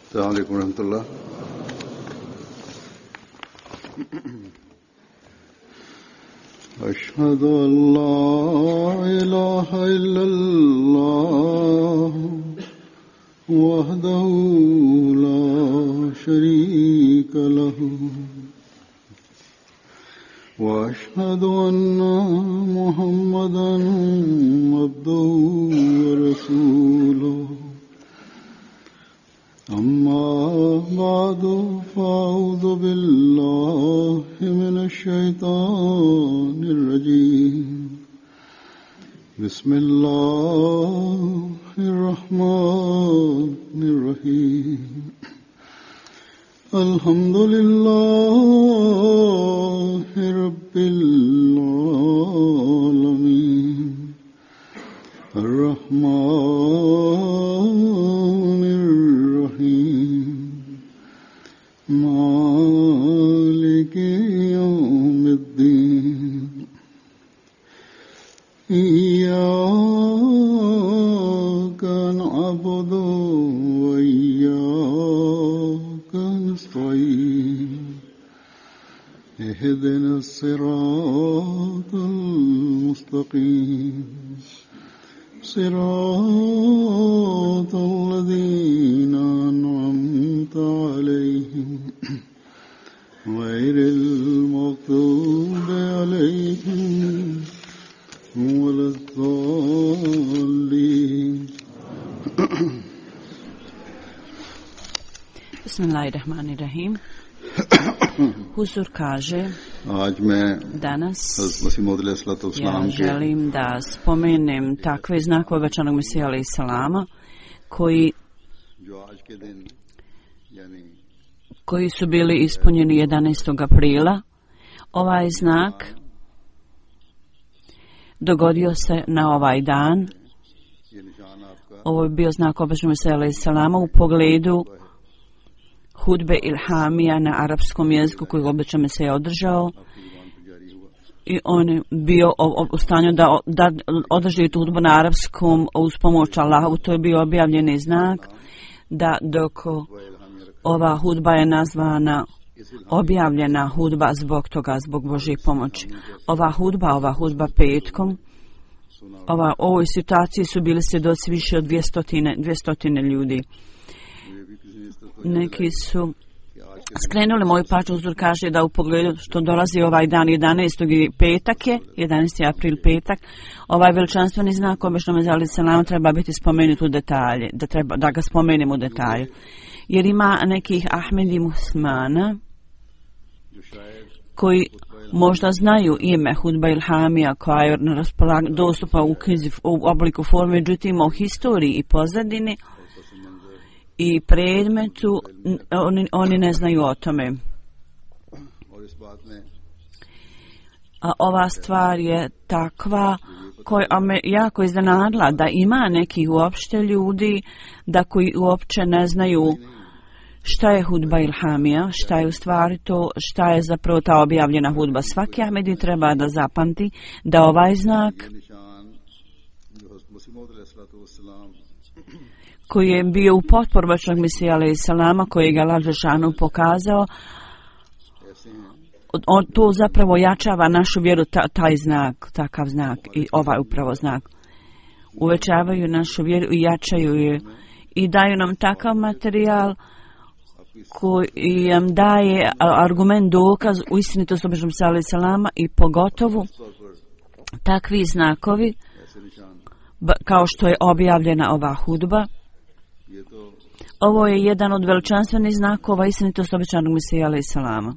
السلام عليكم ورحمة الله. أشهد أن لا إله إلا الله وحده لا شريك له وأشهد أن محمدا عبده ورسوله أما بعد فأعوذ بالله من الشيطان الرجيم بسم الله الرحمن الرحيم الحمد لله رب العالمين الرحمن الرحيم مالك يوم الدين إياك نعبد وإياك نستعين اهدنا الصراط المستقيم صراط الذين أنعمت عليهم غير المغضوب عليهم ولا الضالين. Bismillahirrahmanirrahim. Huzur kaže, danas ja želim da spomenem takve znakove obećanog Mesija alejhi selama koji su bili ispunjeni 11. aprila. Ovaj znak dogodio se na ovaj dan. Ovo je bio znak obećanog Mesija alejhi selama u pogledu hudbe ilhamija na arapskom jeziku koji obećan Mesija održao, i on je bio u stanju da održi tu hudbu na arapskom uz pomoć Allaha. To je bio objavljeni znak da dok ova hudba je nazvana objavljena hudba zbog toga, zbog Božje pomoći. Ova hudba petkom, u ovoj situaciji su bili svjedoci više od 200 ljudi. Neki su skrenuli moju pažnju. Uzor kaže da u pogledu što dolazi ovaj dan 11. petak je, 11. april petak, ovaj veličanstveni znak obećanog Mesija alejhi selam treba biti spomenut u detalje, da ga spomenemo u detalju. Jer ima nekih Ahmedi muslimana koji možda znaju ime hudba ilhamija koja je na raspolaganju dostupa u knjizi u obliku forme, međutim u historiji i pozadini i predmetu oni ne znaju o tome. A ova stvar je takva koja me jako iznenadila, da ima nekih uopšte ljudi da koji uopće ne znaju šta je hudba ilhamija, šta je u stvari to, šta je zapravo ta objavljena hudba. Svaki Ahmedi treba da zapamti da ovaj znak koji je bio u potporu obećanog Mesija alejhi selama, koji ga Allah dželešanu pokazao, to zapravo jačava našu vjeru, taj znak, takav znak i ovaj upravo znak. Uvećavaju našu vjeru i jačaju je i daju nam takav materijal koji nam daje argument, dokaz u istinitosti obećanog Mesija alejhi selama, i pogotovo takvi znakovi kao što je objavljena ova hudba. Ovo je jedan od veličanstvenih znakova istinitosti obećanog Mesija alejhi selama,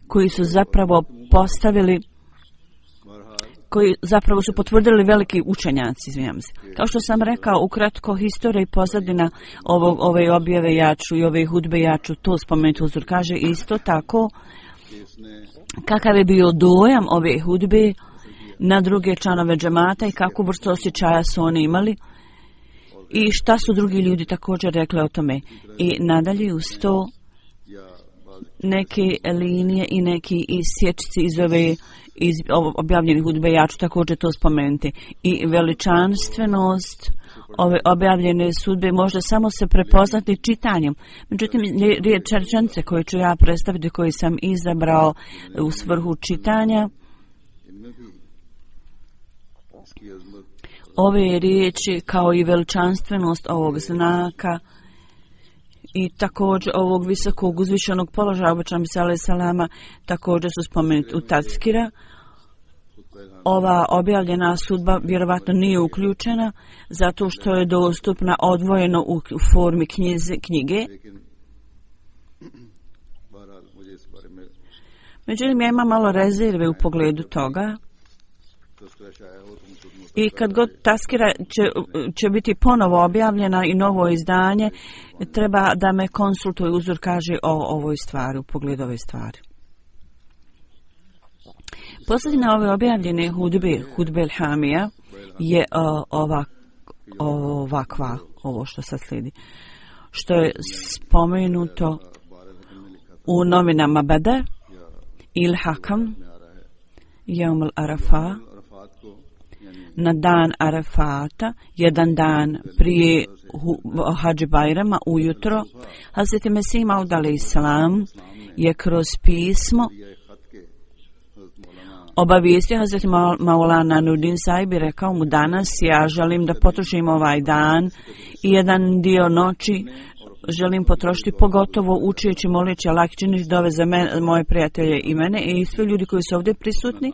koji su zapravo postavili, koji zapravo su potvrdili veliki učenjaci, izvinjam se. Kao što sam rekao, ukratko, historija i pozadina ove objave jaču i ove hudbe jaču, to spomenuti. Huzur kaže isto tako kakav je bio dojam ove hudbe na druge članove džemata i kakvu vrstu osjećaja su oni imali i šta su drugi ljudi također rekli o tome. I nadalje uz to neke linije i neki isječci iz objavljenih hudbe, ja ću također to spomenuti. I veličanstvenost ove objavljene sudbe možda samo se prepoznati čitanjem. Međutim, rečenice koje ću ja predstaviti, koje sam izabrao u svrhu čitanja, ove riječi kao i veličanstvenost ovog znaka i također ovog visokog uzvišenog položaja obećanog salama također su spomenuti u Tazkira. Ova objavljena sudba vjerovatno nije uključena zato što je dostupna odvojeno u formi knjige. Međutim, ja imam malo rezerve u pogledu toga. I kad god Tazkira će biti ponovo objavljena i novo izdanje, treba da me konsultuje uzor kaže o ovoj stvari, u pogledu ove stvari. Posljedna ove objavljene hudbe Hamija je ovakva, ovo što sad slijedi. Što je spomenuto u novinama Badr, Il Hakam, Jaum al-Arafa, na dan Arafata, jedan dan prije Hadži Bajrama, ujutro, Hazreti Mesih Maud alejselam je kroz pismo obavijestio Hazreti Maulana Nurdin Sahib i rekao mu danas ja želim da potrošim ovaj dan i jedan dio noći želim potrošiti pogotovo učeći, moleći Allah, činiš dove za moje prijatelje i mene i svi ljudi koji su ovdje prisutni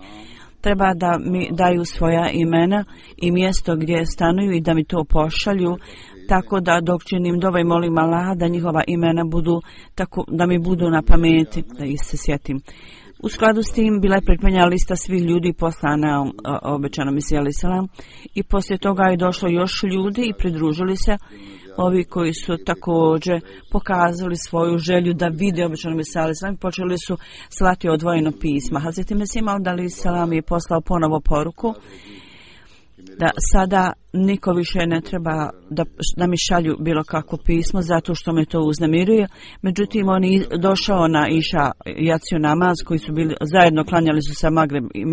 treba da mi daju svoja imena i mjesto gdje stanuju i da mi to pošalju, tako da dok činim dove i molim Allaha da njihova imena budu, tako da mi budu na pameti, da ih se sjetim. U skladu s tim bila je pripremljena lista svih ljudi poslana obećanom Mesiji alejselam i poslije toga je došlo još ljudi i pridružili se ovi koji su također pokazali svoju želju da vide obećanog Mesija alejselam i počeli su slati odvojeno pisma. Hazreti Mesih Maud alejselam je poslao ponovo poruku da sada niko više ne treba da mi šalju bilo kakvo pismo zato što me to uznemiruje. Međutim, on je došao na Iša jaciju namaz koji su bili zajedno, klanjali su sa Magreb i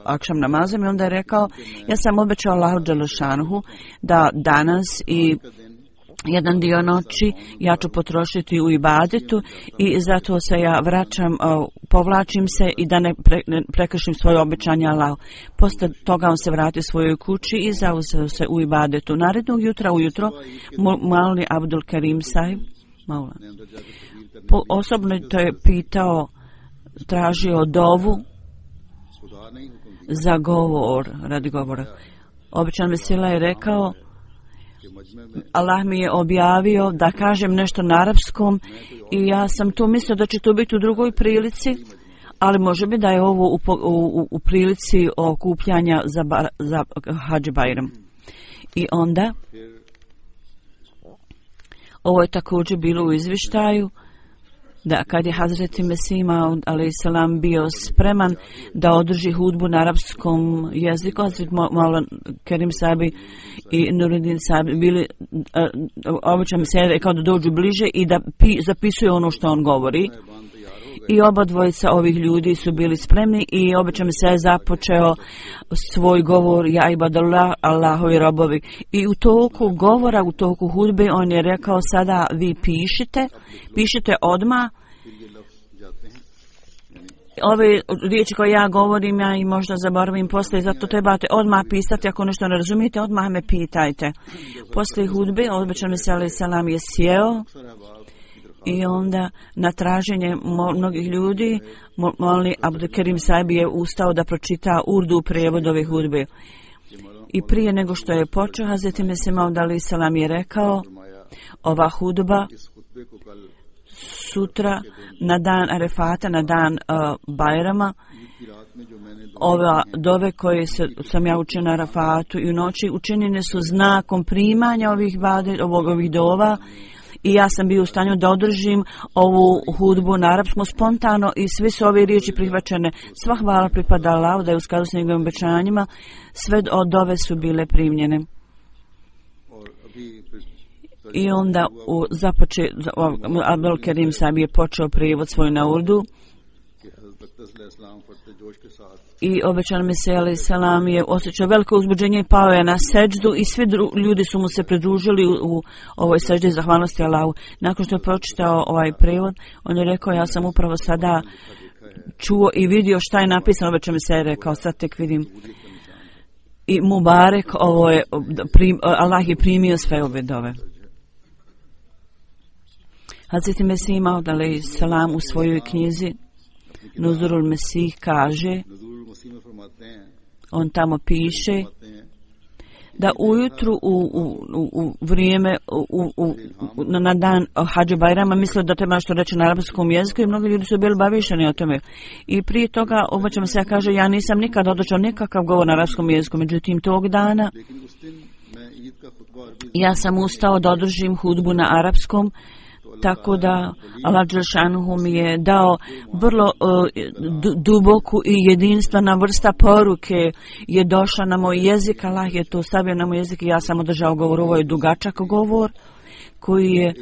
akšam namazom i onda je rekao ja sam obećao Allahu dželešanuhu da danas i jedan dio noći ja ću potrošiti u ibadetu i zato se ja vraćam, povlačim se i da ne prekršim svoje obećanje Allahu. Poslije toga on se vratio svojoj kući i zauzeo se u ibadetu. Narednog jutra ujutro Maulvi Abdul Karim Sahib osobno to je pitao, tražio dovu za govor, radi govora. Obećan Mesila je rekao Allah mi je objavio da kažem nešto na arapskom i ja sam tu mislio da će to biti u drugoj prilici, ali može bi da je ovo u prilici okupljanja za Hadži Bajram. I onda ovo je također bilo u izvještaju da kad je Hazreti Mesih Maud alejselam bio spreman da održi hudbu na arapskom jeziku, Hazreti Maulana Kerim Sahib i Nuruddin Sahib bili obično se rekao da dođu bliže i da zapisuje ono što on govori. I oba dvojica ovih ljudi su bili spremni i obično se je započeo svoj govor ja ibadallah, Allahovi robovi. I u toku govora, u toku hudbe on je rekao sada vi pišite odmah. Ove riječi koje ja govorim, ja i možda zaboravim poslije, zato trebate odmah pisati, ako nešto ne razumijete, odmah me pitajte. Poslije hudbe, obećan Mesih alejselam je sjeo i onda na traženje mnogih ljudi, Maulvi Abdul Karim Sahib je ustao da pročita urdu prijevod ove hudbe. I prije nego što je počeo, Hazreti Mesih Maud alejselam je rekao, ova hudba sutra na dan Arefata, na dan Bajrama, ova dove koje sam ja učio na Arefatu i u noći učinjene su znakom primanja ovih dova i ja sam bio u stanju da održim ovu hudbu na arapskom spontano i sve su ove riječi prihvaćene. Sva hvala pripada Allahu da je u skladu s njegovim obećanjima, sve od dove su bile primljene. I onda Abdul Karim Sahib je počeo prijevod svoj na urdu I obećan Mesija alejhi selam je osjećao veliko uzbuđenje i pao je na seđdu i svi ljudi su mu se pridružili u ovoj seđdi zahvalnosti Allahu. Nakon što je pročitao ovaj prevod, on je rekao, ja sam upravo sada čuo i vidio šta je napisano, obećan Mesija je rekao, sad tek vidim. I Mubarek, ovo je, Allah je primio sve ove dove. Hazreti Mesih Maud alejhi selam u svojoj knjizi Nuzurul Mesih kaže, on piše da ujutru u vrijeme na dan Hadži Bajrama mislio da treba što reći na arapskom jeziku i mnogi ljudi su bili bavišeni o tome. I prije toga obećam se, ja kaže, ja nisam nikad održao nikakav govor na arapskom jeziku, međutim tog dana ja sam ustao da održim hudbu na arapskom, tako da Allah dželešanu mi je dao vrlo duboku i jedinstvena vrsta poruke je došla na moj jezik. Allah je to stavio na moj jezik i ja sam održao govor. Ovo je dugačak govor koji je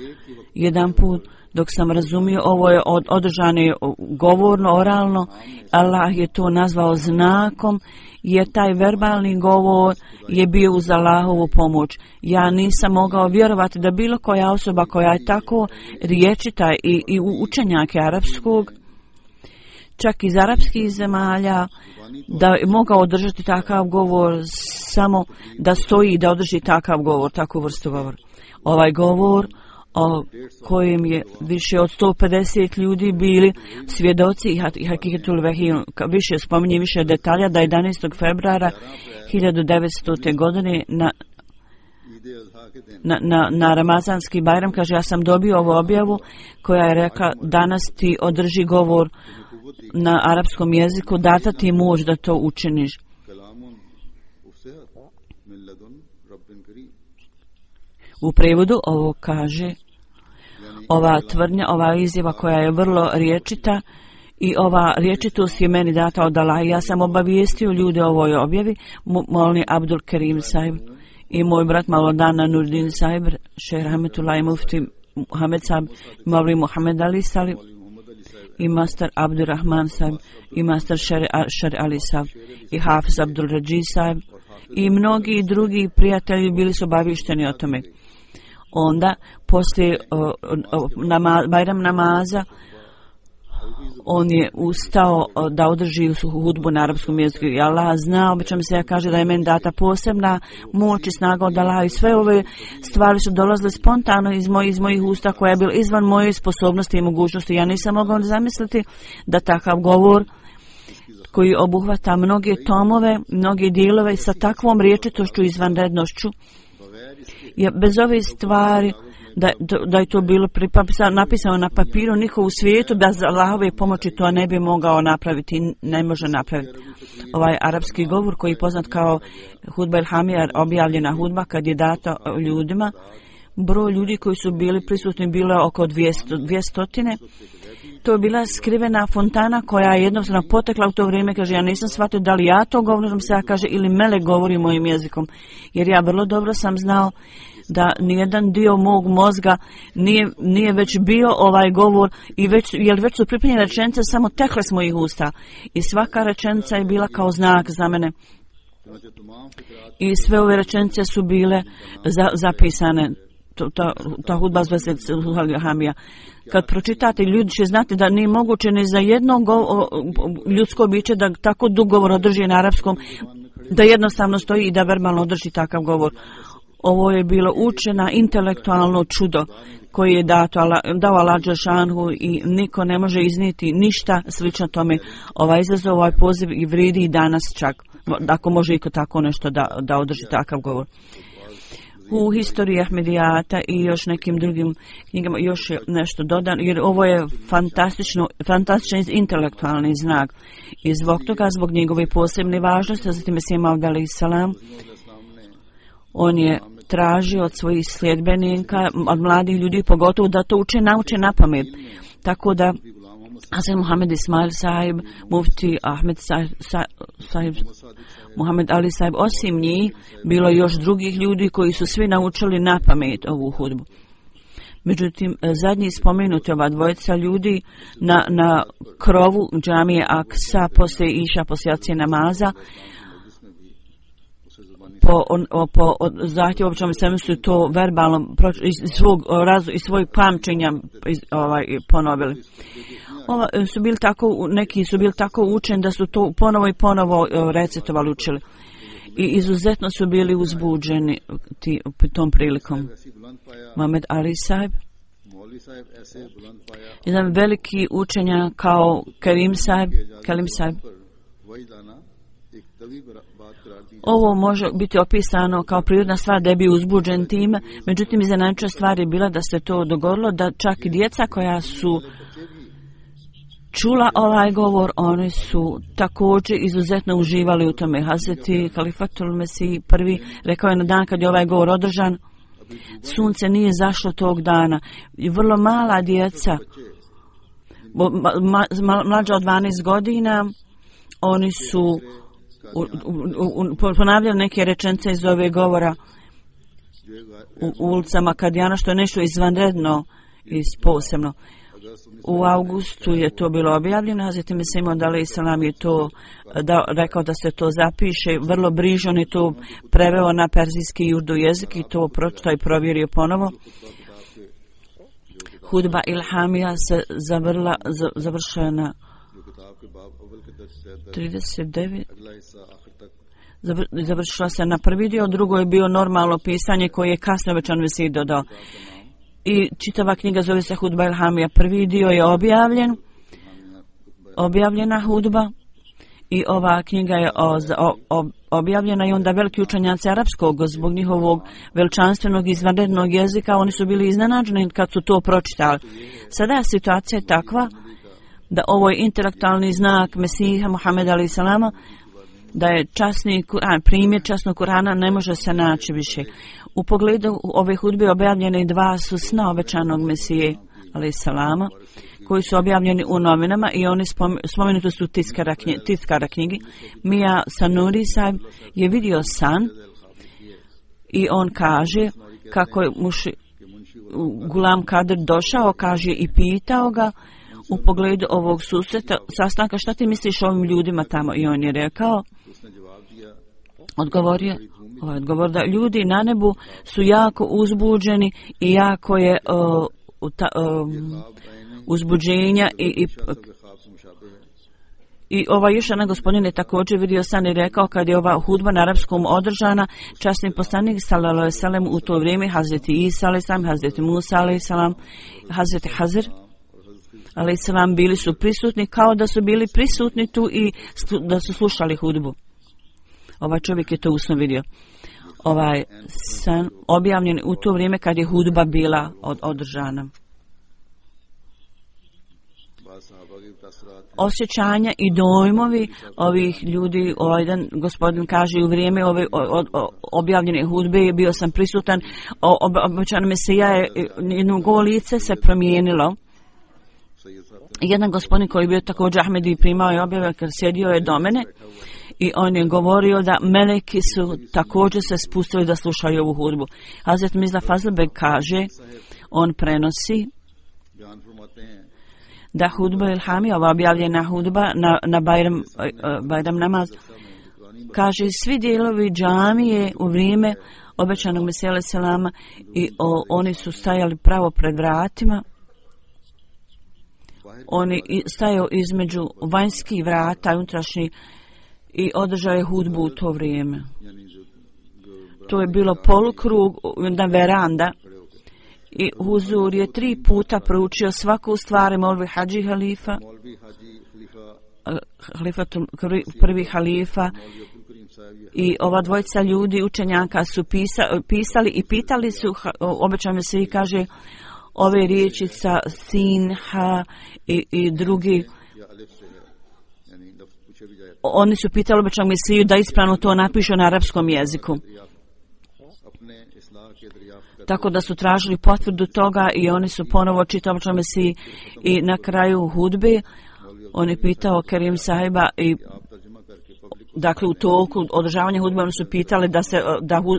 jedan put, dok sam razumio, ovo je održano govorno, oralno. Allah je to nazvao znakom, jer taj verbalni govor je bio uz Allahovu pomoć. Ja nisam mogao vjerovati da bilo koja osoba koja je tako riječita i učenjak arapskog, čak iz arapskih zemalja, da je mogao održati takav govor, samo da stoji i da održi takav govor, takvu vrstu govora. Ovaj govor o kojem je više od 150 ljudi bili svjedoci i Hakikatul Vahij više spominje više detalja da 11. februara 1900. godine na Ramazanski Bajram, kaže, ja sam dobio ovu objavu koja je rekla, danas ti održi govor na arapskom jeziku, data ti moć da to učiniš. U prevodu ovo kaže, ova tvrdnja, ova izjava koja je vrlo riječita i ova riječitost je meni data od Allaha. Ja sam obavijestio ljude o ovoj objavi, molni Abdul Kerim Saib i moj brat Maulana Nurdin Saib, Šejh Rahmetullah Mufti Muhammed Saib, Mavli Muhammed Ali Saib i master Abdurrahman Saib i master Šer Ali Saib i Hafiz Abdul Rađi Saib i mnogi drugi prijatelji bili su obavišteni o tome. Onda, poslije Bajram namaza, on je ustao da održi hudbu na arapskom jeziku i Allah zna, obično se ja kaže da je meni data posebna moć i snaga od Allaha i sve ove stvari su dolazile spontano iz mojih usta koja je bila izvan moje sposobnosti i mogućnosti. Ja nisam mogao zamisliti da takav govor koji obuhvata mnoge tomove, mnoge dijelove sa takvom riječitošću i izvanrednošću, je bez ove stvari da je to bilo napisano na papiru, niko u svijetu bez Allahove pomoći to ne bi mogao napraviti, ne može napraviti. Ovaj arapski govor koji je poznat kao Hudba Ilhamija, objavljena hudba kad je data ljudima, broj ljudi koji su bili prisutni bilo oko 200. To je bila skrivena fontana koja je jednostavno potekla u to vrijeme, kaže, ja nisam shvatio da li ja to govorim se, ja kaže, ili melek govori mojim jezikom, jer ja vrlo dobro sam znao da nijedan dio mog mozga nije već bio ovaj govor i već su pripremljene rečenice samo tekle s mojih usta i svaka rečenica je bila kao znak za mene i sve ove rečenice su bile zapisane. Ta hudba zvezde Hamija. Kad pročitate, ljudi će znati da nije moguće ni za jedno ljudsko biće da tako dug govor održi na arapskom, da jednostavno stoji i da verbalno održi takav govor. Ovo je bilo učena intelektualno čudo koje je dao Allah dželešanu i niko ne može iznijeti ništa slično tome. Ovaj izazov, ovaj poziv i vredi i danas čak, ako može iko tako nešto da održi takav govor. U historiji Ahmedijata i još nekim drugim knjigama još je nešto dodano, jer ovo je fantastičan intelektualni znak. I zbog toga, zbog njegove posebne važnosti, zatim Mesih Maud alejhi selam, on je tražio od svojih sljedbenika, od mladih ljudi pogotovo, da to nauče na pamet. Tako da Hasan Muhammed Ismail Saib, Mufti Ahmed Saib, Muhammed Ali Saib, osim njih, bilo još drugih ljudi koji su svi naučili na pamet ovu hudbu. Međutim, zadnji spomenuti ova dvojica ljudi na krovu džamije Aksa poslije iša, poslije jacije namaza, po zahtjevu običnom svemu su to verbalno iz svojeg pamćenja ponovili. Neki su bili tako učeni da su to ponovo i ponovo recitovali, učili. I izuzetno su bili uzbuđeni tom prilikom. Mohamed Ali sahib, jedan veliki učenjak kao Kalim sahib. Ovo može biti opisano kao prirodna stvar da je bio uzbuđen time, međutim iznenađujuća stvar je bila da se to dogodilo, da čak i djeca koja su čula ovaj govor, oni su također izuzetno uživali u tome. Hazreti Halifatul Mesih prvi rekao je na dan kad je ovaj govor održan, sunce nije zašlo tog dana. I vrlo mala djeca, mlađa od 12 godina, oni su ponavljali neke rečenice iz ove govora u ulicama Kadijana, što je nešto izvanredno i posebno. U augustu je to bilo objavljeno, Hazreti Mesih Maud alejhi selam je to rekao da se to zapiše, vrlo brižno je to preveo na perzijski i urdu jezik i to pročitao i provjerio ponovo. Hudba Ilhamija se završena 39. Završila se na prvi dio, drugo je bio normalno pisanje koje je kasno već Mesih dodao. I čitava knjiga zove se Hudba Ilhamija. Prvi dio je objavljena hudba i ova knjiga je objavljena i onda veliki učenjaci arapskog zbog njihovog veličanstvenog izvanrednog jezika, oni su bili iznenađeni kad su to pročitali. Sada je situacija takva da ovo je intelektualni znak Mesiha Muhameda alejhi selama, da je časni Kur'an, primjer časnog Kur'ana ne može se naći više. U pogledu ove hudbe objavljene dva su sna obećanog Mesije alejhi selama, koji su objavljeni u novinama i oni spomenuti su tiskara knjigi. Mija Sanuri sahib je vidio san i on kaže kako je Gulam Kadir došao, kaže i pitao ga u pogledu ovog sastanka, šta ti misliš o ovim ljudima tamo? I on je rekao, odgovor da ljudi na nebu su jako uzbuđeni i jako je uzbuđenja i još jedan gospodin je također vidio san i rekao kad je ova hudba na arapskom održana, časni poslanik sallallahu alejhi ve sellem u to vrijeme, Hazreti Isa alejhi selam, Hazreti Musa alejhi selam, Hazreti Hazir alejhi selam bili su prisutni kao da su bili prisutni tu i da su slušali hudbu. Ovaj čovjek je to usno vidio. Ovaj san objavljen u to vrijeme kad je hudba bila održana. Osjećanja i dojmovi ovih ljudi, jedan gospodin kaže u vrijeme ove objavljene hudbe bio sam prisutan, obećan Mesija je, njegovo lice se promijenilo. Jedan gospodin koji je bio također Ahmedi primao je objave, kad sjedio je do mene i on je govorio da meleki su također se spustili da slušaju ovu hudbu. Hazret Mirza Fazlbeg kaže, on prenosi da hudba Ilhamija, ova objavljena hudba na Bajram namaz, kaže svi dijelovi džamije u vrijeme obećanog Mesija alejhi selama i oni su stajali pravo pred vratima. Oni stajao između vanjskih vrata i unutrašnjih i održao je hudbu u to vrijeme. To je bilo polukrug, jedna veranda i huzur je 3 puta proučio svaku stvar, Molvi Hadži halifa, prvi halifa i ova dvojica ljudi učenjaka su pisali i pitali su, obećan Mesih kaže, ove riječi sa Sinha i drugi, oni su pitali obećanog Mesiju da ispravno to napišu na arapskom jeziku. Tako da su tražili potvrdu toga i oni su ponovo čitali obećanog Mesiji i na kraju hudbe on je pitao Karim sahiba i dakle u toku održavanja hudbe su pitali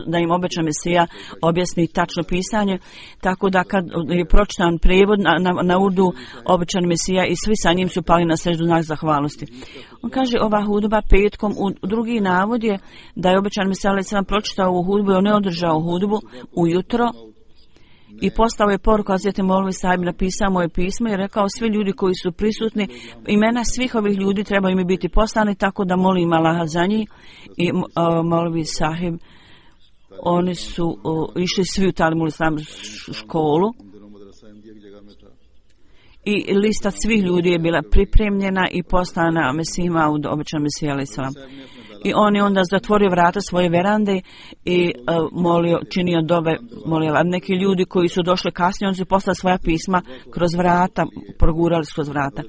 da im obećan Mesija objasni tačno pisanje, tako da kad je pročitan prijevod na urdu, obećan Mesija i svi sa njim su pali na seždu znak zahvalnosti. On kaže ova hudba petkom, u drugi navod je da je obećan Mesija alejhi selam pročitao ovu hudbu i on ne održao hudbu ujutro i postao je poruku Hazreti Molvi Sahib, napisao moje pismo i rekao svi ljudi koji su prisutni, imena svih ovih ljudi trebaju mi biti poslani, tako da molim Allaha za njih. I Molvi Sahib, oni su išli svi u Talimul Islam školu i lista svih ljudi je bila pripremljena i poslana Mesihima u obećan Mesija alejhi selam. I on je onda zatvorio vrata svoje verande i činio dove, molio. A neki ljudi koji su došli kasnije, oni su poslali svoja pisma kroz vrata, progurali kroz vrata.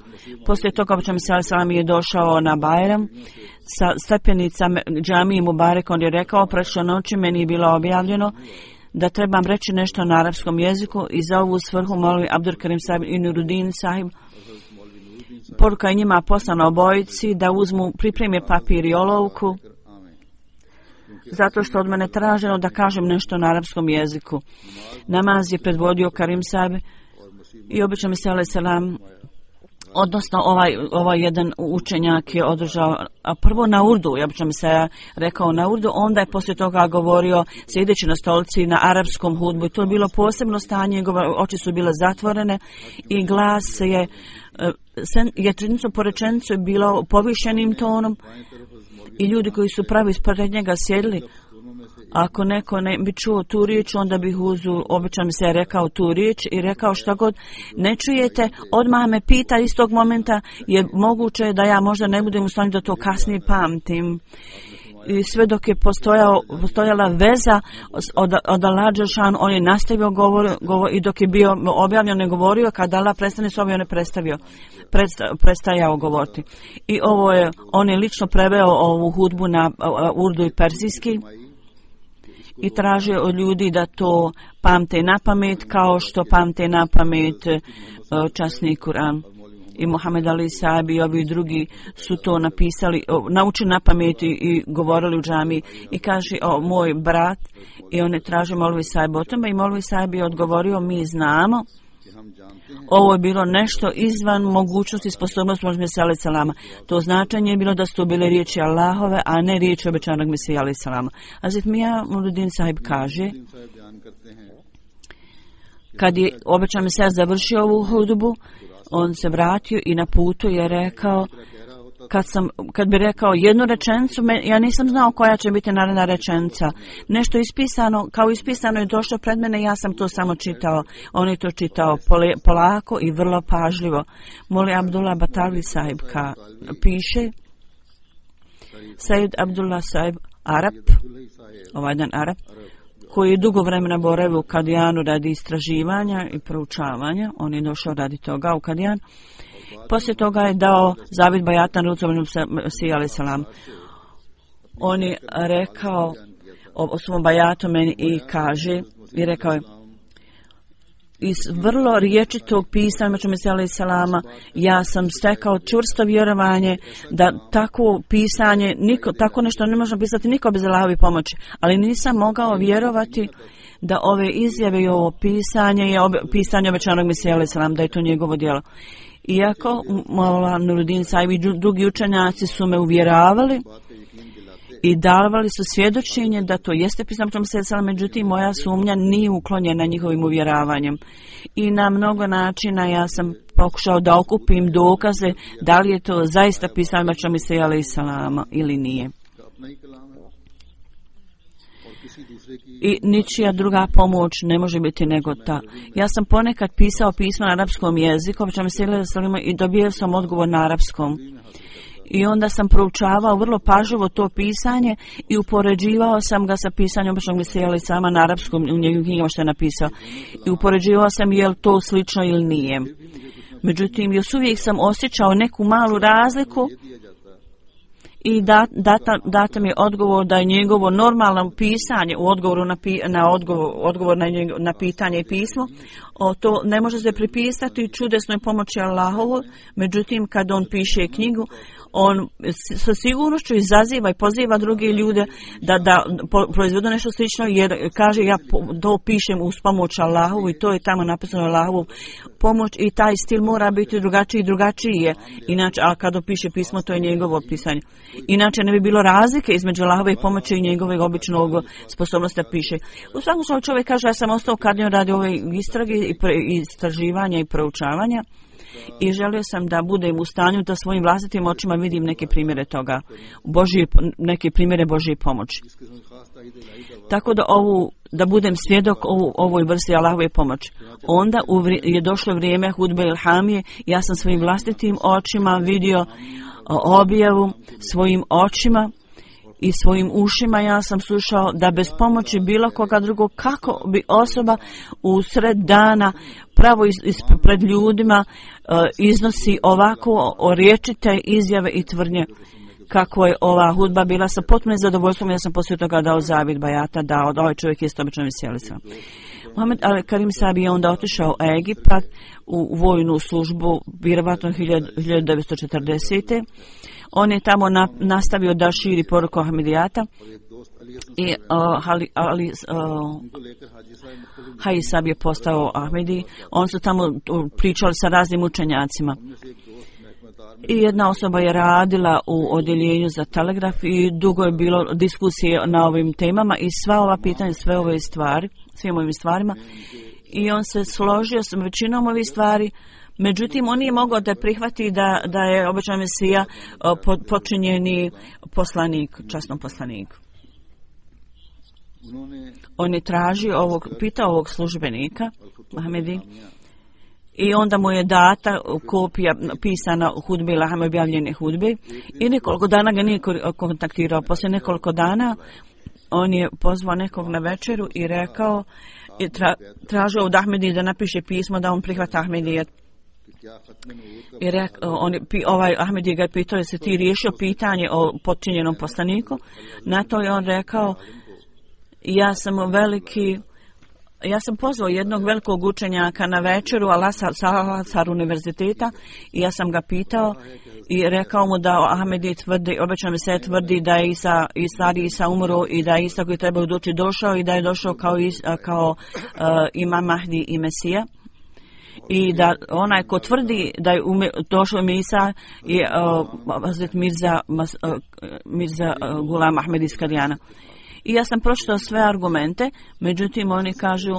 Poslije toga obećan Mesija alejhi selam je došao na Bajram sa stepenicama džamije Mubarek. On je rekao, prošle noći meni je bilo objavljeno da trebam reći nešto na arapskom jeziku i za ovu svrhu molvi Abdul Karim Sahib i Nuruddin Sahib. Poruka je njima poslana obojici da uzmu, pripreme papir i olovku, zato što od mene traženo da kažem nešto na arapskom jeziku. Namaz je predvodio Karim Sahib i obećan Mesija alejhi selam, odnosno ovaj jedan učenjak je održao prvo na urdu, ja bih se rekao na urdu, onda je poslije toga govorio sjedeći na stolici na arapskom hudbu i to je bilo posebno stanje, oči su bile zatvorene i glas je rečenicu po rečenicu je bilo povišenim tonom i ljudi koji su pravi ispred njega sjedili. Ako neko ne bi čuo tu riječ, onda bih običan se rekao tu riječ i rekao šta god ne čujete, odmah me pita istog momenta, jer moguće da ja možda ne budem u stanju da to kasnije pamtim. I sve dok je postojala veza od Allah Đelešanu, on je nastavio govor i dok je bio objavljen ne govorio, kad Allah prestane s ovim ne prestajao govoriti. I on je lično preveo ovu hudbu na urdu i persijski i tražio od ljudi da to pamte na pamet kao što pamte na pamet časni Kur'an. I Muhammed Ali Sahib i ovi drugi su to napisali, naučili na pamet i govorili u džami. I kaže moj brat, i on je tražio Molvi Sahib o tome i Molvi Sahib je odgovorio, mi znamo. Ovo je bilo nešto izvan mogućnosti i sposobnosti Mesija alejhi selama. To značenje je bilo da su to bile riječi Allahove, a ne riječi obećanog Mesija alejhi selama. Hazret Mija Nuruddin Sahib kaže, kad je obećan Mesija završio ovu hudbu, on se vratio i na putu je rekao, kad bi rekao jednu rečenicu, ja nisam znao koja će biti naredna rečenica. Nešto ispisano, kao ispisano je došlo pred mene, ja sam to samo čitao. On je to čitao polako i vrlo pažljivo. Moli Abdullah Batali Sahib piše, Said Abdullah Sahib Arab, ovaj jedan Arab, koji je dugo vremena boravio u Kadijanu radi istraživanja i proučavanja. On je došao radi toga u Kadijan. Poslije toga je dao zavid bajata na rucu Mesija alejhi selam. On je rekao o svom bajatu meni i kaže, i rekao je, iz vrlo riječitog pisanja Mesija alejhi selama ja sam stekao čvrsto vjerovanje da takvo pisanje, tako nešto ne može pisati niko bez Allahove pomoći, ali nisam mogao vjerovati da ove izjave i ovo pisanje je pisanje obećanog Mesija alejhi selam, da je to njegovo djelo. Iako Nuruddin Sahib i drugi učenjaci su me uvjeravali i davali su svjedočenje da to jeste pisano Mesija alejhi selam, međutim moja sumnja nije uklonjena njihovim uvjeravanjem. I na mnogo načina ja sam pokušao da okupim dokaze da li je to zaista pisano Mesija alejhi selam ili nije. I ničija druga pomoć ne može biti nego ta. Ja sam ponekad pisao pisma na arapskom jeziku, i dobio sam odgovor na arapskom. I onda sam proučavao vrlo pažljivo to pisanje i upoređivao sam ga sa pisanjem običnog Mesija alejhi selama na arapskom u njegovim knjigama što je napisao. I upoređivao sam je li to slično ili nije. Međutim, još uvijek sam osjećao neku malu razliku i data mi je odgovor da je njegovo normalno pisanje u odgovoru odgovor na pitanje i pismo, to ne može se pripisati čudesnoj pomoći Allahovu. Međutim, kad on piše knjigu, on sa sigurnošću izaziva i poziva druge ljude da proizvedu nešto slično, jer kaže ja to pišem uz pomoć Allahovu i to je tamo napisano Allahovu pomoć i taj stil mora biti drugačiji i drugačiji je. Inače, a kada piše pismo, to je njegovo pisanje. Inače ne bi bilo razlike između Allahove pomoći i njegove običnog sposobnosti da piše. U svakom slučaju čovjek kaže ja sam ostao kadnio radi ove istrage i istraživanja i proučavanja. I želio sam da budem u stanju da svojim vlastitim očima vidim neke primjere toga, neke primjere Božje pomoći. Tako da budem svjedok ovoj vrsti Allahove pomoći. Onda je došlo vrijeme hudbe ilhamije, ja sam svojim vlastitim očima vidio objavu, svojim očima i svojim ušima ja sam slušao da bez pomoći bilo koga drugog kako bi osoba u sred dana pravo pred ljudima iznosi ovako riječite izjave i tvrdnje kako je ova hudba bila sa potpunim zadovoljstvom. Ja sam poslije toga dao zavid bajata da ovaj čovjek je obično veselica. Mohamed Al-Karim Sabi je onda otišao u Egipat u vojnu službu, vjerovatno 1940. On je tamo nastavio da širi poruku Ahmedijata i Haji Sabi je postao Ahmedi. On su tamo pričali sa raznim učenjacima. I jedna osoba je radila u odjeljenju za telegraf i dugo je bilo diskusije na ovim temama i sva ova pitanja, sve ove stvari, svim ovim stvarima. I on se složio s većinom ovih stvari. Međutim, on nije mogao da prihvati da je običan Mesija počinjeni poslanik, časnom poslanik. On je tražio pitao ovog službenika, Ahmedi, i onda mu je data kopija pisana hudbe, Ilhame objavljene hudbe, i nekoliko dana ga nije kontaktirao. Poslije nekoliko dana on je pozvao nekog na večeru i rekao, tražio od Ahmedi da napiše pismo da on prihvata Ahmedijet. I ovaj Ahmedi ga je pitao, jesi ti riješio pitanje o počinjenom poslaniku? Na to je on rekao, ja sam pozvao jednog velikog učenjaka na večeru Al-Azhar univerziteta i ja sam ga pitao i rekao mu da Ahmedi tvrdi, obično mi se tvrdi da je Isa umro i da je Isa koji treba doći došao i da je došao kao Imam Mahdi i Mesija. I da onaj ko tvrdi da je došao Isa je Hazret Mirza Gulam Ahmed iz Kadijana. I ja sam pročitao sve argumente, međutim oni kažu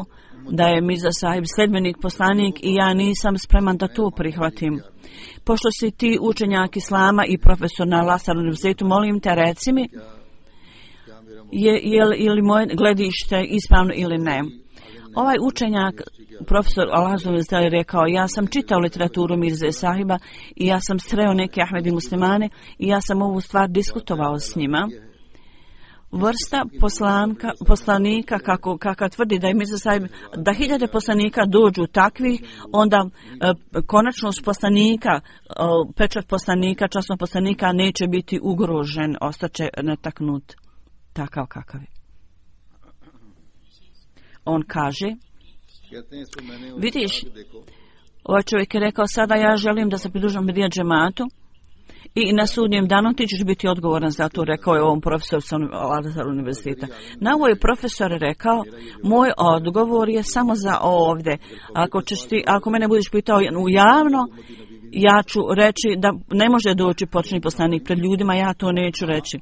da je Mirza Sahib sledbenik, poslanik i ja nisam spreman da to prihvatim. Pošto si ti učenjak Islama i profesor na Al-Azhar univerzitetu, molim te reci mi je li moje gledište ispravno ili ne. Ovaj učenjak, profesor Al-Azhar univerzitetu, je rekao, ja sam čitao literaturu Mirze Sahiba i ja sam sreo neke Ahmedi muslimane i ja sam ovu stvar diskutovao s njima. Vrsta poslanika kako tvrdi da je Mirza Sahib, da 1000 poslanika dođu takvih, onda konačnost poslanika, pečat poslanika, časnog poslanika neće biti ugrožen, ostaće netaknut takav kakav je. On kaže, vidiš, ovaj čovjek je rekao, sada ja želim da se pridružim Ahmedija džematu i na sudnjem danu ti ćeš biti odgovoran za to, rekao je ovom profesoru sa Al-Azhar univerziteta. Na ovo je profesor rekao, moj odgovor je samo za ovdje. Ako mene budeš pitao javno, ja ću reći da ne može doći početni poslanik pred ljudima, ja to neću reći.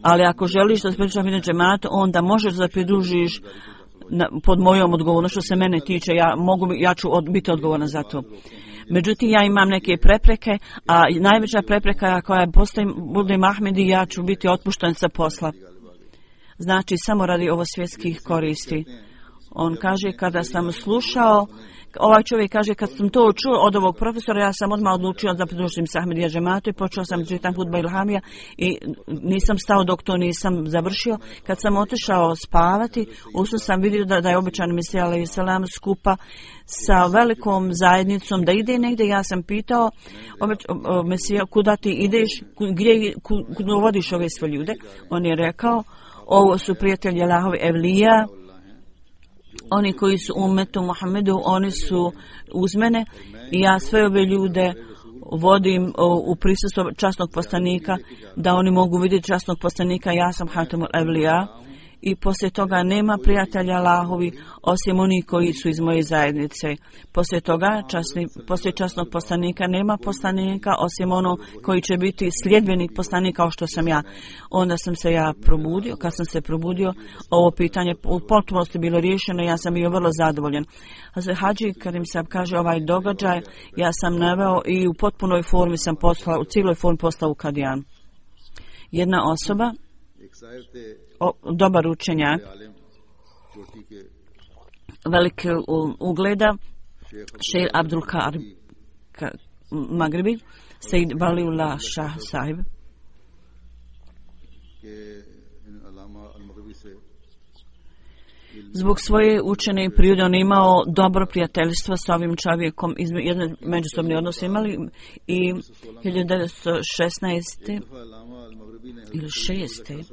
Ali ako želiš da se pridružiš Ahmedija džematu, onda možeš da pridružiš pod mojom odgovornošću, što se mene tiče, ja ću biti odgovoran za to. Međutim, ja imam neke prepreke, a najveća prepreka koja bude Ahmedi, ja ću biti otpušten sa posla. Znači, samo radi ovo svjetskih koristi. On kaže, kada sam slušao, ovaj čovjek kaže, kad sam to čuo od ovog profesora, ja sam odmah odlučio da pridružim se Ahmedija džematu i počeo sam čitam hudba ilhamija i nisam stao dok to nisam završio. Kad sam otišao spavati, usno sam vidio da je običan Mesija alejhi selam skupa sa velikom zajednicom da ide negdje. Ja sam pitao Mesija, kuda ti ideš, gdje vodiš ove sve ljude? On je rekao, ovo su prijatelji Allahovi evlija, oni koji su u umetu Muhammedu, oni su uz mene i ja sve ove ljude vodim u prisustvu časnog poslanika, da oni mogu vidjeti časnog poslanika, ja sam Hatemul Evlija. I poslije toga nema prijatelja Allahovi osim onih koji su iz moje zajednice. Poslije toga, poslije časnog poslanika, nema poslanika osim ono koji će biti sljedbenik poslanika kao što sam ja. Onda sam se ja probudio. Kad sam se probudio, ovo pitanje u potpunosti bilo riješeno, ja sam bio vrlo zadovoljan. Hadži Karim Saheb kaže, ovaj događaj ja sam naveo i u potpunoj formi sam poslao, u cijeloj formi poslao u Kadijan. Jedna osoba, dobar učenjak, velike ugleda, Šejh Abdul Karim Magribi, Sejid Valiullah Šah Sahib. Zbog svoje učene prirode on imao dobro prijateljstvo s ovim čovjekom, jedne međusobni odnose imali i 1916. ili 6.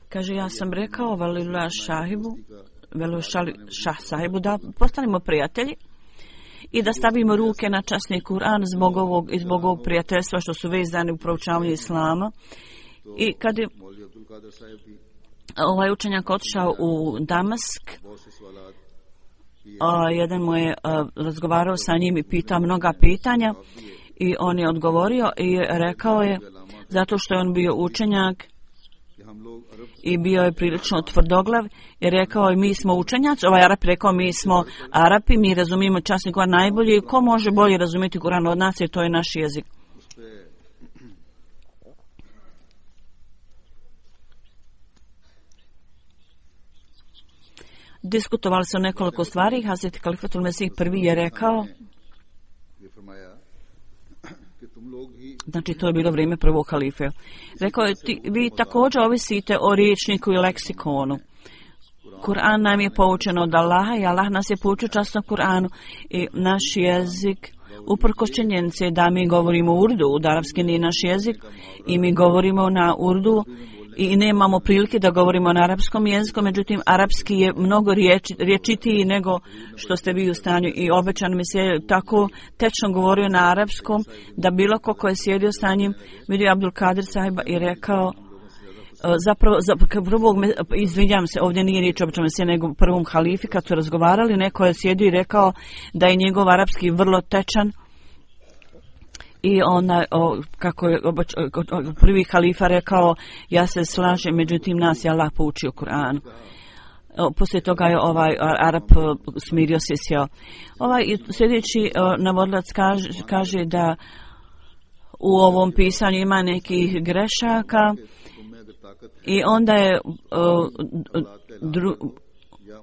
Kaže, ja sam rekao Valiullah Šah Sahibu da postanemo prijatelji i da stavimo ruke na časni Kur'an zbog ovog prijateljstva što su vezani u proučavanju islama. I kad je ovaj učenjak otišao u Damask, jedan mu je razgovarao sa njim i pitao mnoga pitanja i on je odgovorio i rekao je, zato što je on bio učenjak i bio je prilično tvrdoglav i rekao je, mi smo učenjaci, ovaj Arap rekao, mi smo Arapi, mi razumijemo časni Kur'an najbolje, ko može bolje razumjeti Kur'an od nas jer to je naš jezik. Diskutovali se o nekoliko stvari. Hazreti Kalifatul Mesih prvi je rekao, znači to je bilo vrijeme prvog halife, rekao je, vi također ovisite o riječniku i leksikonu. Kur'an nam je poučen od Allaha i Allah nas je poučio časno Kur'anu i naš jezik, uprkos činjenice da mi govorimo urdu, arapski nije naš jezik i mi govorimo na urdu i nemamo prilike da govorimo na arapskom jeziku, međutim arapski je mnogo riječitiji nego što ste vi u stanju i obećan mi se tako tečno govorio na arapskom da bilo ko je sjedio sa njim vidio Abdul Kadir sahiba i rekao prvog, izvinjam se, ovdje nije riječ obično se nego prvom halifi kad su razgovarali, neko je sjedio i rekao da je njegov arapski vrlo tečan. I ona, kako je prvi halifa rekao, ja se slažem, međutim nas je Allah poučio Kur'anu. Poslije toga je ovaj Arap smirio se i sjeo. Ovaj sljedeći navodilac kaže da u ovom pisanju ima nekih grešaka i onda je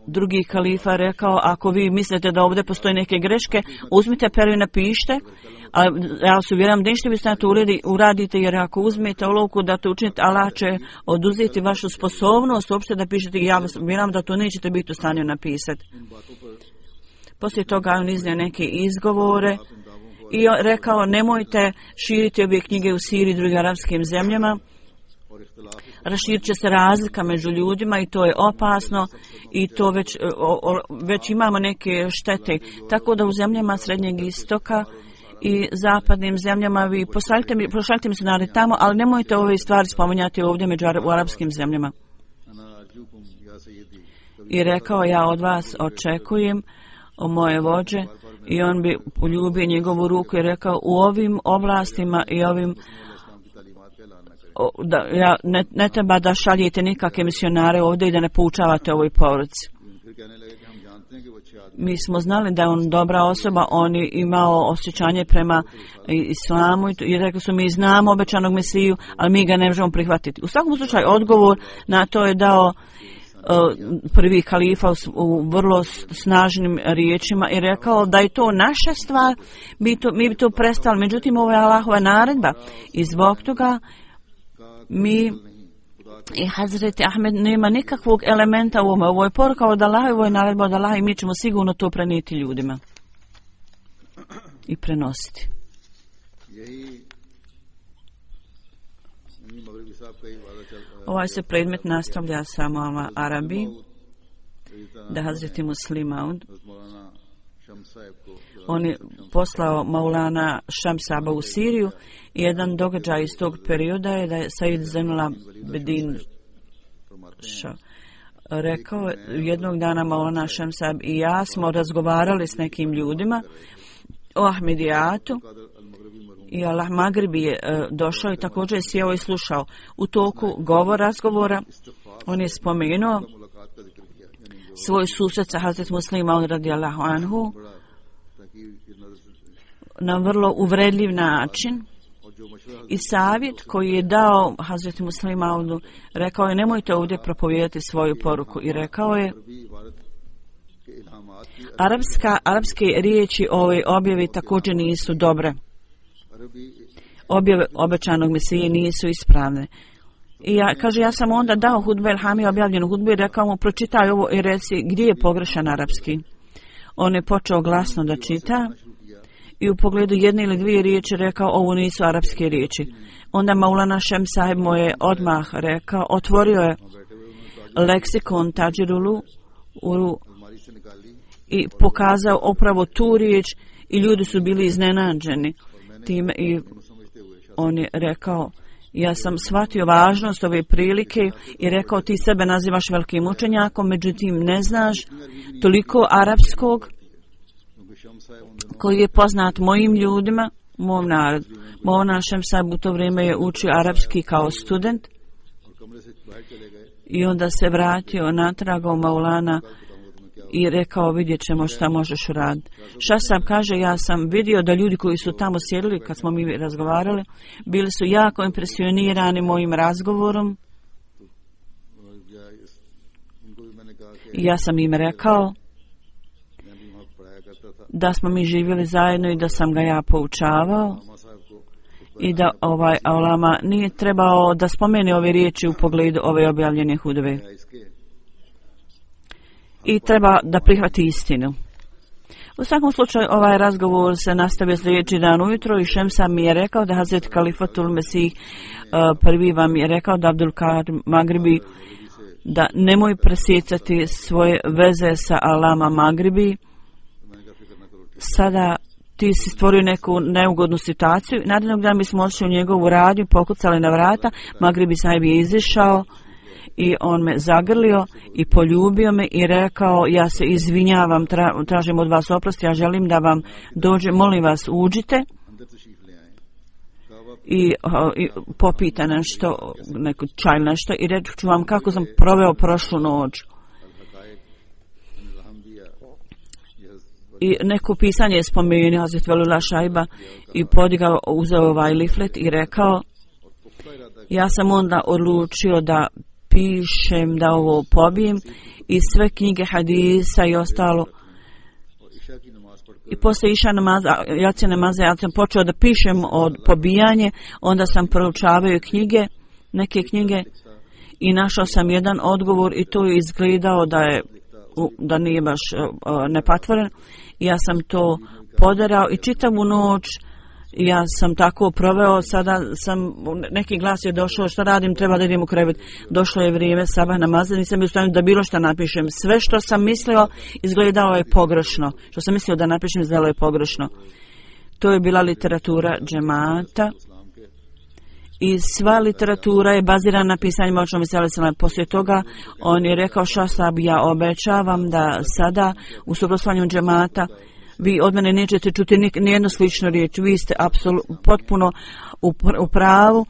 drugi halifa rekao, ako vi mislite da ovdje postoje neke greške, uzmite peru i napišite. A ja se uvjeram da ništa biste na to uradite, jer ako uzmete olovku da to učinite, Allah će oduzeti vašu sposobnost uopšte da pišete i ja vas uvjeram da to nećete biti u stanju napisati. Poslije toga on iznio neke izgovore i rekao, nemojte širiti ove knjige u Siriji i drugim arapskim zemljama. Raširit će se razlika među ljudima i to je opasno i to već imamo neke štete. Tako da u zemljama Srednjeg istoka i zapadnim zemljama vi pošaljite misionare tamo, ali nemojte ove stvari spominjati ovdje u arapskim zemljama. I rekao, ja od vas očekujem o moje vođe, i on bi poljubio njegovu ruku i rekao, u ovim oblastima i ovim ne treba da šaljete nikakve misionare ovdje i da ne poučavate ovoj poruci. Mi smo znali da je on dobra osoba, on je imao osjećanje prema islamu i rekli su, mi znamo obećanog Mesiju, ali mi ga ne možemo prihvatiti. U svakom slučaju odgovor na to je dao prvi halifa u vrlo snažnim riječima i rekao da je to naša stvar, mi bi to prestali, međutim ovo je Allahova naredba i zbog toga mi i Hazreti Ahmed nema nikakvog elementa u ovome. Ovo je poruka od Allaha, ovo je naredba od Allaha i mi ćemo sigurno to prenijeti ljudima i prenositi. Ovaj se predmet nastavlja samo Arabi, da Hazreti Muslim Maud On je poslao Maulana Šamsaba u Siriju i jedan događaj iz tog perioda je da je Said Zainul Abidin rekao, jednog dana Maulana Šamsab i ja smo razgovarali s nekim ljudima o Ahmedijatu i Allah Magribi je došao i također je sjeo i slušao. U toku razgovora on je spomenuo svoj susret sa Hazret Muslima radijallahu anhu na vrlo uvredljiv način i savjet koji je dao Hazret Muslima, rekao je nemojte ovdje propovijedati svoju poruku i rekao je arapske riječi ove objave također nisu dobre. Objave obećanog Mesije nisu ispravne. I ja sam onda dao hudbe Elhami objavljenu hudbu i rekao mu pročitaj ovo i reci gdje je pogrešan arapski. On je počeo glasno da čita i u pogledu jedne ili dvije riječi rekao ovo nisu arapske riječi. Onda Maulana Šem Saheb mu je odmah rekao, otvorio je leksikon Tađirulu i pokazao upravo tu riječ i ljudi su bili iznenađeni time i on je rekao ja sam shvatio važnost ove prilike i rekao ti sebe nazivaš velikim učenjakom, međutim ne znaš toliko arapskog koji je poznat mojim ljudima, mom narodu. Maulana Šem Saheb u to vrijeme je učio arapski kao student i onda se vratio natrag u Maulana i rekao vidjet ćemo šta možeš uraditi. Šasab kaže ja sam vidio da ljudi koji su tamo sjedili kad smo mi razgovarali bili su jako impresionirani mojim razgovorom i ja sam im rekao da smo mi živjeli zajedno i da sam ga ja poučavao i da Aulama nije trebao da spomene ove riječi u pogledu ove objavljene hudbe i treba da prihvati istinu. U svakom slučaju ovaj razgovor se nastavio sljedeći dan ujutro i Šemsa mi je rekao da Hazret Kalifatul Mesih prvi vam je rekao da Abdul Kadir Magribi da nemoj presjecati svoje veze sa Alama Magribi. Sada ti si stvorio neku neugodnu situaciju. Narednog dana mi smo otišli u njegovu radnju, pokucali na vrata, Magribi Sahib je izišao i on me zagrlio i poljubio me i rekao ja se izvinjavam, tražim od vas oprost, ja želim da vam dođe, molim vas uđite i popita nešto, neku čaj nešto i reći ću vam kako sam proveo prošlu noć. I neko pisanje je spomenuo Hazret Velula Šajba i podigao, uzeo ovaj liflet i rekao ja sam onda odlučio da pišem, da ovo pobijem i sve knjige hadisa i ostalo. I posle iša namaza, jacije namaza, ja sam počeo da pišem od pobijanje, onda sam proučavao knjige, neke knjige i našao sam jedan odgovor i to je izgledao da nije baš nepatvoren. Ja sam to podarao i čitavu noć ja sam tako proveo, sada sam, neki glas je došao, šta radim, treba da idem u krevet. Došlo je vrijeme sabah namaza, nisam u stanju da bilo šta napišem. Sve što sam mislio izgledalo je pogrešno. Što sam mislio da napišem izgledalo je pogrešno. To je bila literatura džemata i sva literatura je bazirana na pisanjima očnom Veselesama. Poslije toga on je rekao Šasab, ja obećavam da sada u suprotstavljanju džemata vi od mene nećete čuti nijednu sličnu riječ. Vi ste potpuno u pravu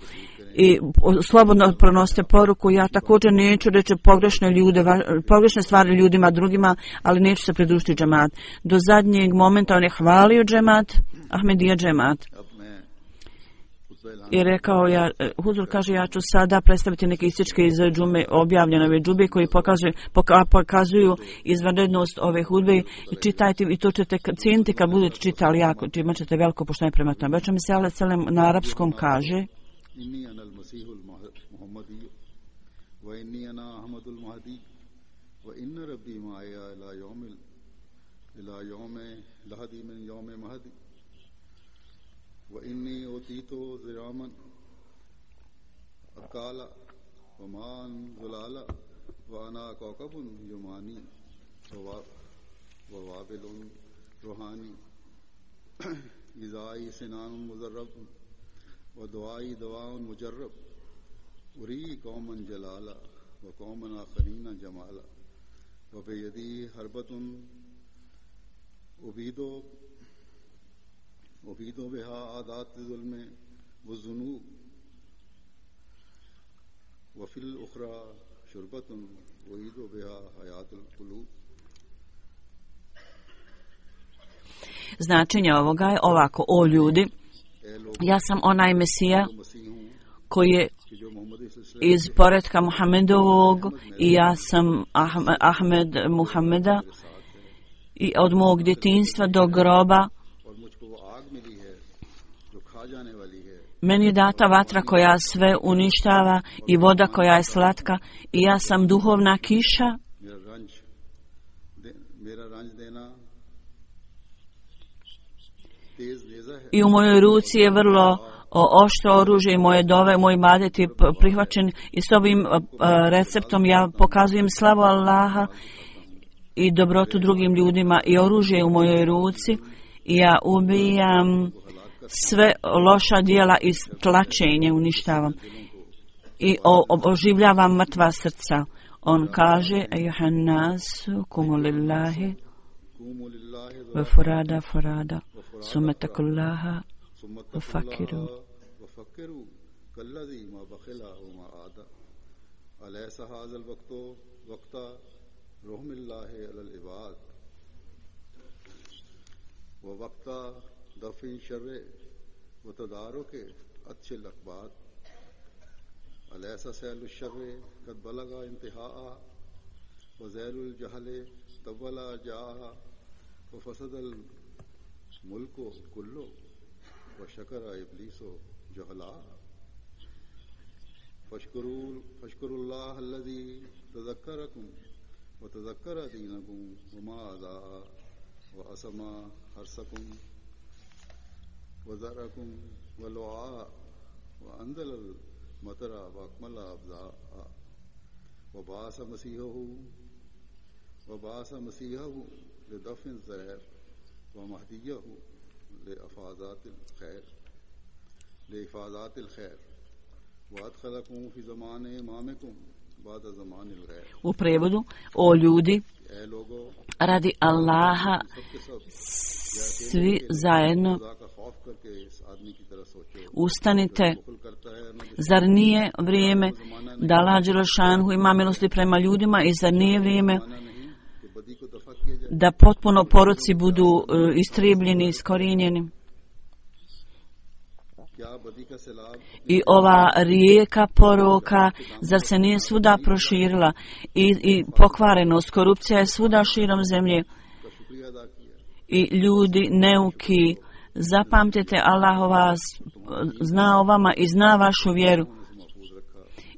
i slobodno pronosite poruku. Ja također neću reći pogrešne stvari ljudima drugima, ali neću se pridružiti džemat. Do zadnjeg momenta on je hvalio džemat, Ahmedija džemat. I rekao, Huzur kaže, ja ću sada predstaviti neke ističke iz džume, objavljene ove džube koji pokazuju izvanrednost ove hudbe i čitajte i to ćete cijeniti kad budete čitali jako, imat ćete veliko poštovanje prema tome. Već mi se Alejselem na arapskom kaže وإني أوتيت زراما أقالا ومان زلالا وأنا كوكب يماني ووابل रूहानी इज़ाई सिनान मुजर्रब व दुआई दवाउन मुजर्रब उरी कौमन जलाला व कौमन आखरीना जमाला व बेयदी हरबतुन उबीदो बिहा आदात जुल्मे व जुनूब व फिल उखरा शुरबतुन उईदो बिहा हयातुल कुलूब. Značenje ovoga je ovako: o ljudi, ja sam onaj Mesija koji je iz poretka Muhammedovog i ja sam Ahmed Muhammeda i od mog djetinjstva do groba meni je data vatra koja sve uništava i voda koja je slatka i ja sam duhovna kiša i u mojoj ruci je vrlo oštro oružje i moje dove, moj ibadet je prihvaćen i s ovim receptom ja pokazujem slavu Allaha i dobrotu drugim ljudima i oružje u mojoj ruci i ja ubijam sve loša djela i tlačenje uništavam i oživljavam mrtva srca. On kaže: ejuhan nasu kumu lillahi wa furada furada sumatakullaha wa fakiru. كالذي ما بخل وما عاد أليس هذا الوقت وقت رحم الله على العباد ووقت دفع الشر وتدارك أطش الأقباط أليس سيل الشر قد بلغ انتهاء وزيل الجهل طول جاء وفسد الملك كله وشكر إبليس جهلا فاشكروا الله الذي تذكركم وتذكر دينكم وما أضاء وأسمى حرسكم وزرعكم ولعاء وأنزل المطر وأكمل أبداء وبعث مسيحه لدفن الزهر ومهديه لإفاضات الخير وأدخلكم في زمان إمامكم بعد زمان الغير. U prevodu: o ljudi, radi Allaha svi zajedno ustanite. Zar nije vrijeme da Allah dželešanu ima milosti prema ljudima i zar nije vrijeme da potpuno poroci budu istrijebljeni, iskorijenjeni? I ova rijeka poroka, zar se nije svuda proširila i pokvarenost, korupcija je svuda širom zemlje i ljudi neuki. Zapamtite, Allah vas zna o vama i zna vašu vjeru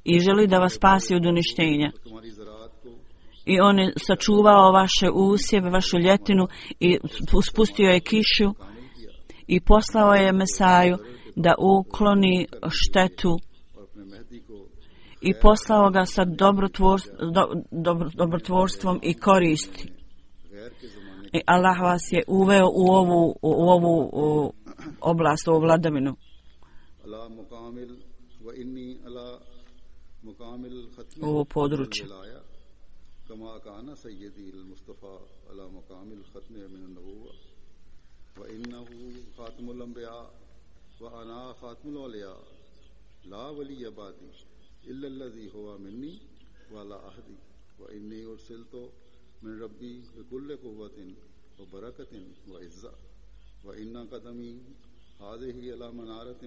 i želi da vas spasi od uništenja. I on je sačuvao vaše usjeve, vašu ljetinu i spustio je kišu i poslao je Mesaju da ukloni štetu i poslao ga sa dobrotvorstvom i koristi. I Allah vas je uveo u ovu oblast, u ovu vladavinu. U ovo područje. كما كان سيدي المصطفى على مقام الختم من النبوة وإنه خاتم الأنبياء وأنا خاتم الأولياء لا ولي بعدي إلا الذي هو مني وعلى عهدي وإني أرسلت من ربي بكل قوة وبركة وعزة وإن قدمي هذه على منارة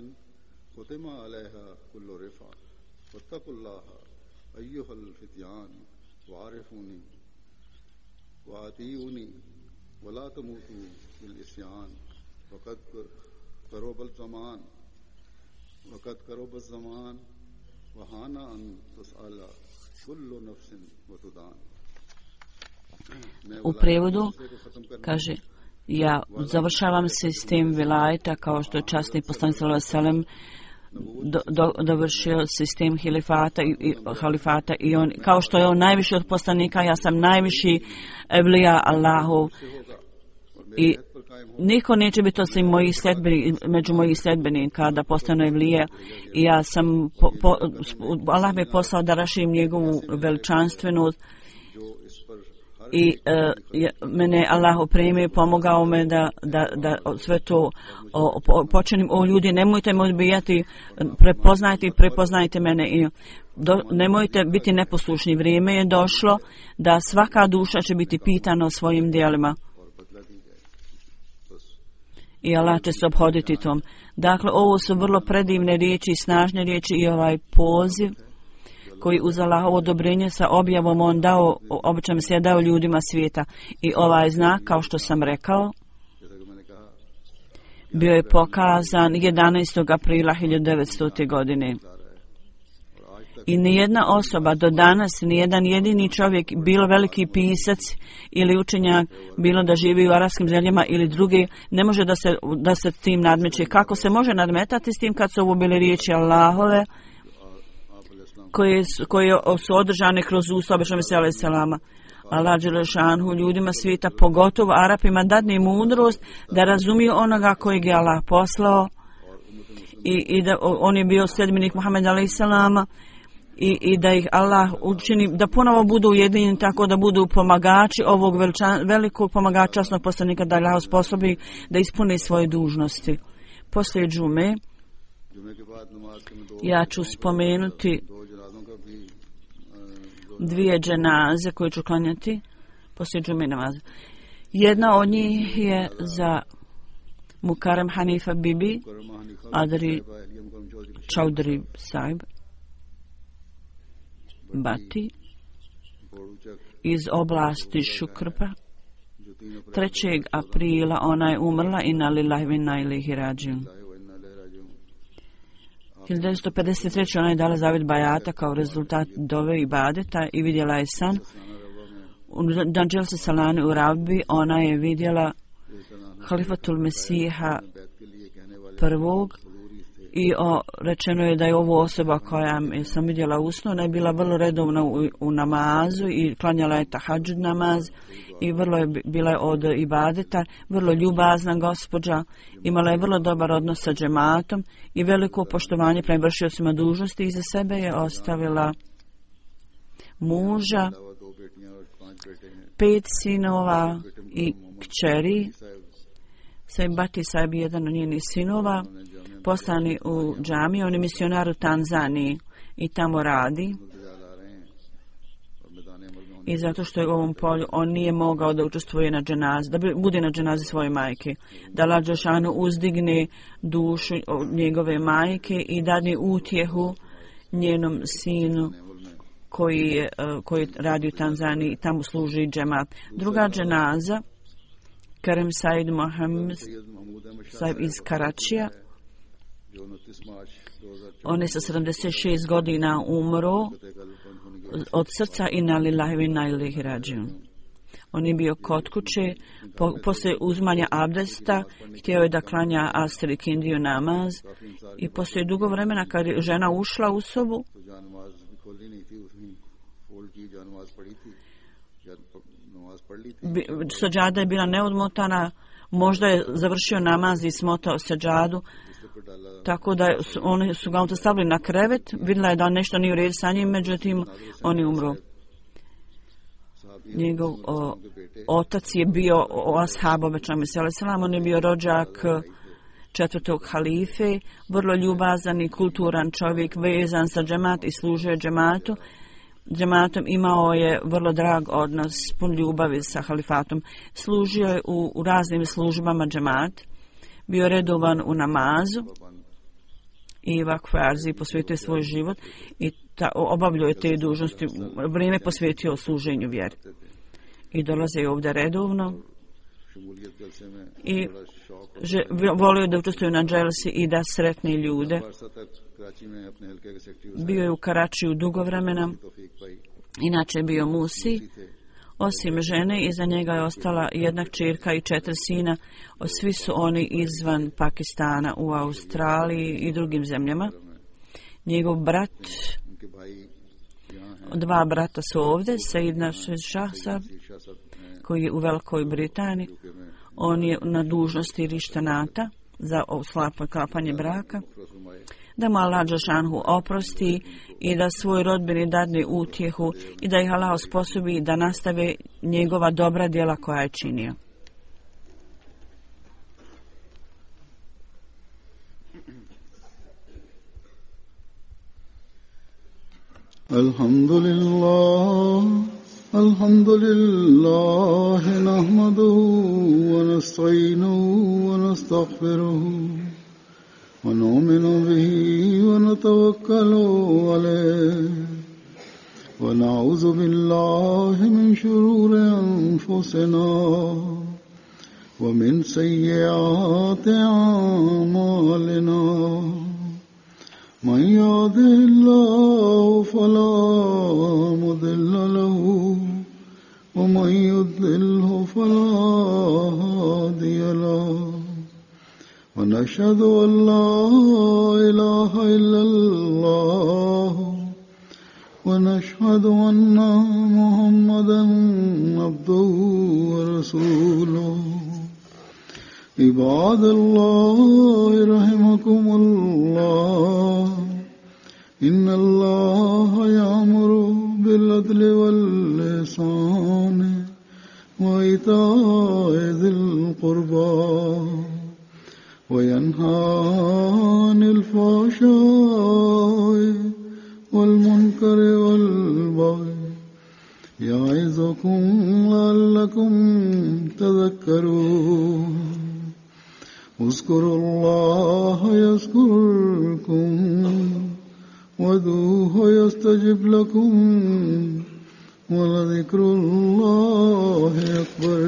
ختم عليها كل رفع واتقوا الله أيها الفتيان وعرفوني وأطيعوني ولا تموتوا بالعصيان وقد قرب الزمان وهان أن تسأل كل نفس وتدان. U prevodu kaže: ja završavam sistem vilajeta kao što je časni poslanik sallallahu alejhi ve sellem dovršio sistem halifata i on, kao što je on najviši od poslanika, ja sam najviši evlija Allahov I niko neće biti osim među mojih sledbenika da postane vlije. I ja sam, Allah me poslao da raširim njegovu veličanstvenost. I mene Allah opremio i pomogao me da sve to počinim. O ljudi, nemojte me odbijati, prepoznajte mene i nemojte biti neposlušni. Vrijeme je došlo da svaka duša će biti pitana o svojim djelima. I Allah će se obhoditi tom. Dakle, ovo su vrlo predivne riječi i snažne riječi i ovaj poziv koji uz Allahovo odobrenje sa objavom on dao, obično se je dao ljudima svijeta. I ovaj znak, kao što sam rekao, bio je pokazan 11. aprila 1900. godine. I nijedna osoba do danas, nijedan jedini čovjek, bilo veliki pisac ili učenjak, bilo da živi u arapskim zemljama ili drugi, ne može da se tim nadmeće. Kako se može nadmetati s tim kad su ovo bile riječi Allahove, koje su održane kroz usta običnog Mesija alejhi selama. Allah dželešanhu ljudima svijeta, pogotovo Arapima, dadne mudrost da razumiju onoga kojeg je Allah poslao i da on je bio sledbenik Muhameda alejhi selama i da ih Allah učini da ponovo budu ujedinjeni tako da budu pomagači ovog velikog pomagača časnog poslanika, da Allah sposobi da ispuni svoje dužnosti. Poslije džume ja ću spomenuti dvije dženaze koje ću klanjati poslije džume namaza. Jedna od njih je za Mukarram Hanifa Bibi Adri Chaudhry Sahib Bati iz oblasti Šukrpa. 3. aprila ona je umrla, inna lillahi wa inna ilaihi rađiun. 1953. ona je dala zavjet bajata kao rezultat dove i badeta i vidjela je san. Dan Dželse Salani u Rabbi ona je vidjela Halifatul Mesiha prvog i rečeno je da je ovo osoba koja sam vidjela usno, ona je bila vrlo redovna u namazu i klanjala je tahadžud namaz i bila je od ibadeta, vrlo ljubazna gospođa, imala je vrlo dobar odnos sa džematom i veliko poštovanje prema vršiocima dužnosti. Iza sebe je ostavila muža, 5 sinova i kćeri. Sahib Bati Sahib, jedan od njenih sinova, poslani u džamiju, on je misionar u Tanzaniji i tamo radi. I zato što je u ovom polju on nije mogao da učestvuje na dženazi, da bude na dženazi svoje majke, da Allah dželešanu uzdigne dušu njegove majke i dadne utjehu njenom sinu koji radi u Tanzaniji i tamo služi džemat. Druga dženaza, Karim Said Mohammed Sahib iz Karačija. On je sa 76 godina umro od srca, inna lillahi wa inna ilaihi rađiun. On je bio kod kuće, poslije uzmanja abdesta, htio je da klanja Asr i Kindiju namaz i poslije dugo vremena kad je žena ušla u sobu, sađada je bila neodmotana, možda je završio namaz i smotao sađadu, tako da oni su ga stavili na krevet, vidjela je da nešto nije u redu sa njim, međutim on je umro. Njegov otac je bio ashab obećanog Mesija alejhi selam, on je bio rođak 4. halife, vrlo ljubazan i kulturan čovjek, vezan za džemat i služio džematom, imao je vrlo drag odnos, pun ljubavi sa halifatom. Služio je u raznim službama džemat, bio redovan u namazu i vakfarzi, posvetio svoj život i obavljao je te dužnosti, vrijeme posvetio služenju vjeri. I dolaze ovdje redovno i volio da učestvuju na dželsi i da sretne ljude. Bio je u Karačiju dugo vremena, inače je bio musi. Osim žene, iza njega je ostala jedna kćerka i 4 sina. Svi su oni izvan Pakistana, u Australiji i drugim zemljama. Njegov brat, 2 brata su ovdje, Said Nasir Shah Sahib, koji je u Velikoj Britaniji. on je na dužnosti rištanata za sklapanje braka, da mu Allah dželešanu oprosti i da svoj rodbini dadne utjehu i da ih Allah osposobi da nastave njegova dobra djela koja je činio. Alhamdulillah nahmaduhu wa nasta'inuhu wa nastaghfiruhu wa nu'minu bihi wa natawakkalu alayhi wa na'udhu billahi min shururi anfusina wa min sayyiati a'malina. من يهده الله فلا مضل له ومن يضلله فلا هادي له ونشهد أن لا إله إلا الله ونشهد أن محمدا عبده ورسوله. عباد الله رحمكم الله إن الله يأمر بالعدل والإحسان وإيتاء ذي القربى وينهى عن الفحشاء والمنكر والبغي يعظكم لعلكم تذكرون. اذكروا الله يذكركم وادعوه يستجب لكم ولذكر الله أكبر.